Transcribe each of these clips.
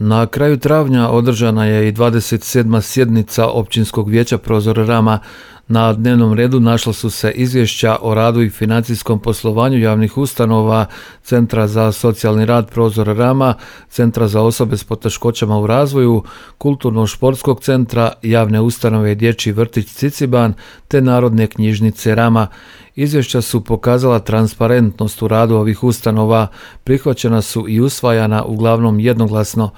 Na kraju travnja održana je i 27. sjednica Općinskog vijeća Prozor Rama. Na dnevnom redu našla su se izvješća o radu i financijskom poslovanju javnih ustanova, Centra za socijalni rad Prozor Rama, Centra za osobe s poteškoćama u razvoju, Kulturno-športskog centra, javne ustanove Dječji vrtić Ciciban te Narodne knjižnice Rama. Izvješća su pokazala transparentnost u radu ovih ustanova, prihvaćena su i usvajana uglavnom jednoglasno.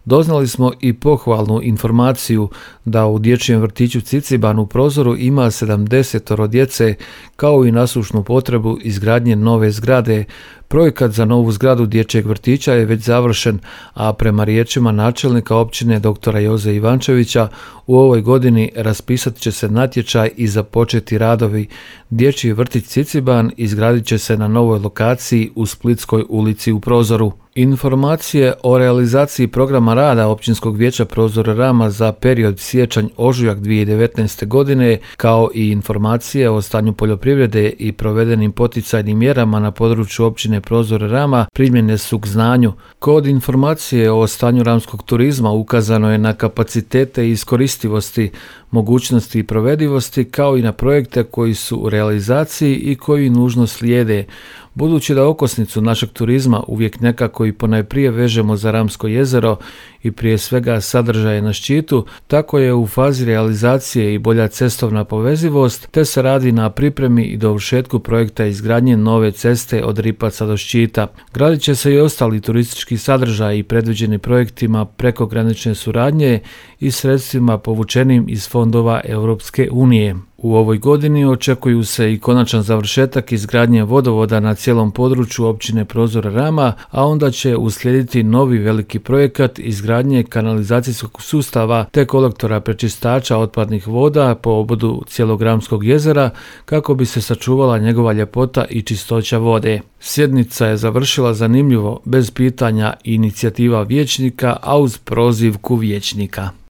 Doznali smo i pohvalnu informaciju da u Dječjem vrtiću Ciciban u Prozoru ima 70 djece, kao i nasušnu potrebu izgradnje nove zgrade. Projekat za novu zgradu dječjeg vrtića je već završen, a prema riječima načelnika općine dr. Joze Ivančevića, u ovoj godini raspisat će se natječaj i započeti radovi. Dječji vrtić Ciciban izgradit će se na novoj lokaciji u Splitskoj ulici u Prozoru. Informacije o realizaciji programa rada Općinskog vijeća Prozor Rama za period siječanj-ožujak 2019. godine, kao i informacije o stanju poljoprivrede i provedenim poticajnim mjerama na području općine Prozor Rama primljene su k znanju. Kod informacije o stanju ramskog turizma ukazano je na kapacitete i iskoristivosti, mogućnosti i provedivosti, kao i na projekte koji su u realizaciji i koji nužno slijede. Budući da okosnicu našeg turizma uvijek nekako i ponajprije vežemo za Ramsko jezero i prije svega sadržaje na ščitu, tako je u fazi realizacije i bolja cestovna povezivost, te se radi na pripremi i dovršetku projekta izgradnje nove ceste od Ripaca do Ščita. Gradit će se i ostali turistički sadržaji predviđeni projektima prekogranične suradnje i sredstvima povučenim iz fondova Europske unije. U ovoj godini očekuju se i konačan završetak izgradnje vodovoda na cijelom području općine Prozor Rama, a onda će uslijediti novi veliki projekat izgradnje kanalizacijskog sustava te kolektora prečistača otpadnih voda po obodu cijelog Ramskog jezera kako bi se sačuvala njegova ljepota i čistoća vode. Sjednica je završila zanimljivo, bez pitanja i inicijativa vijećnika, a uz prozivku vijećnika.